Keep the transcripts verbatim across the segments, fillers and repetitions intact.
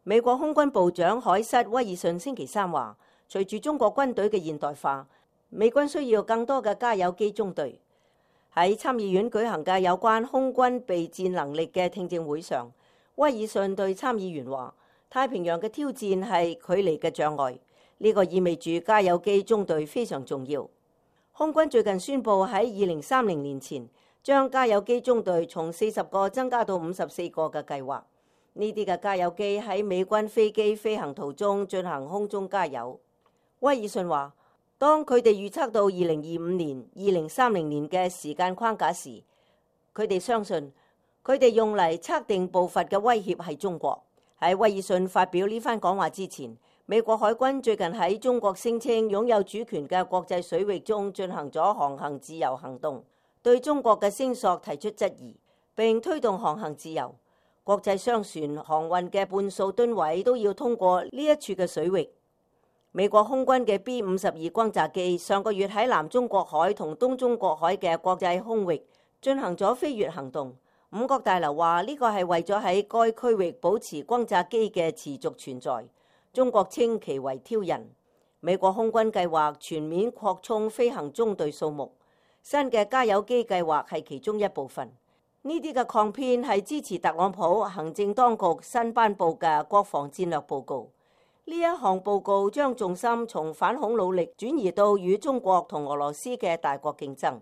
美國空軍部長海瑟威爾遜星期三話，隨住中國軍隊嘅現代化，美軍需要更多嘅加油機中隊。喺參議院舉行嘅有關空軍備戰能力嘅聽證會上，威爾遜對參議員話：太平洋嘅挑戰係距離嘅障礙，呢個意味住加油機中隊非常重要。空軍最近宣布喺二零三零年前將加油機中隊從四十個增加到五十四個嘅計劃。呢啲嘅加油機喺美軍飛機飛行途中進行空中加油。威爾遜話：當佢哋預測到二零二五年、二零三零年嘅時間框架時，佢哋相信佢哋用嚟測定步伐嘅威脅係中國。喺威爾遜發表呢番講話之前，美國海軍最近喺中國聲稱擁有主權嘅國際水域中進行咗航行自由行動，對中國嘅聲索提出質疑，並推動航行自由。國際商船航運嘅半數噸位都要通過呢一處嘅水域。美國空軍嘅 B 五十二轟炸機上個月喺南中國海同東中國海嘅國際空域進行咗飛越行動。五角大樓話呢個係為咗喺該區域保持轟炸機嘅持續存在。中國稱其為挑釁。美國空軍計劃全面擴充飛行中隊數目，新嘅加油機計劃係其中一部分。呢啲嘅抗編係支持特朗普行政當局新頒布嘅國防戰略報告。呢一項報告將重心從反恐努力轉移到與中國同俄羅斯嘅大國競爭。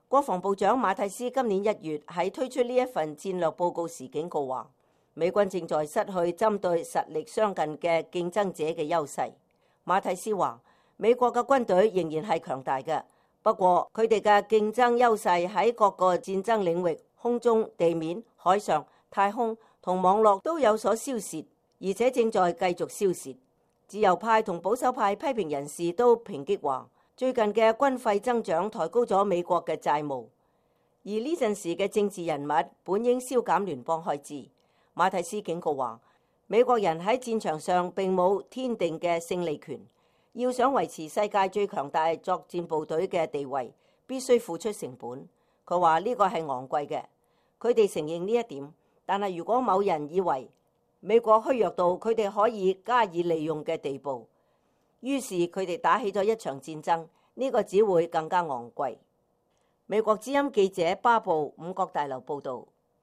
國防部長馬蒂斯今年一月喺推出呢一份戰略報告時警告話，美軍正在失去針對實力相近嘅競爭者嘅優勢。馬蒂斯話，美國嘅軍隊仍然係強大嘅，不過佢哋嘅競爭優勢喺各個戰爭領域，空中、地面、海上、太空同網絡都有所消蝕，而且正在繼續消蝕。自由派同保守派批評人士都抨擊話，最近嘅軍費增長抬高咗美國嘅債務，而呢陣時嘅政治人物本應削減聯邦開支。馬蒂斯警告話，美國人喺戰場上並冇天定嘅勝利權，要想維持世界最強大作戰部隊嘅地位，必須付出成本。佢話呢個係昂貴嘅，佢哋承認呢一點。但係如果某人以為美國虛弱到佢哋可以加以利用嘅地步，於是佢哋打起咗一場戰爭，呢個只會更加昂貴。美國之音記者巴布五角大樓報導。